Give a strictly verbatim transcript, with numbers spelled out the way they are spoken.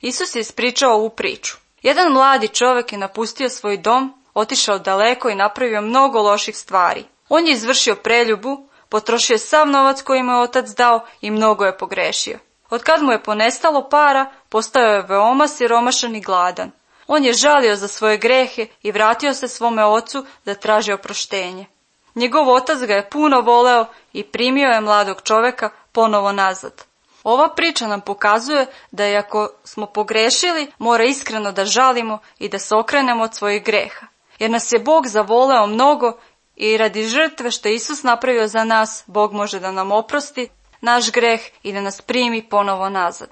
Isus je ispričao ovu priču. Jedan mladi čovjek je napustio svoj dom, otišao daleko i napravio mnogo loših stvari. On je izvršio preljubu, potrošio je sav novac koji mu je otac dao i mnogo je pogrešio. Od kad mu je ponestalo para, postao je veoma siromašan i gladan. On je žalio za svoje grehe i vratio se svome ocu da traži oproštenje. Njegov otac ga je puno voleo i primio je mladog čovjeka ponovo nazad. Ova priča nam pokazuje da i ako smo pogrešili, mora iskreno da žalimo i da se okrenemo od svojih greha. Jer nas je Bog zavoleo mnogo i radi žrtve što je Isus napravio za nas, Bog može da nam oprosti naš greh i da nas primi ponovo nazad.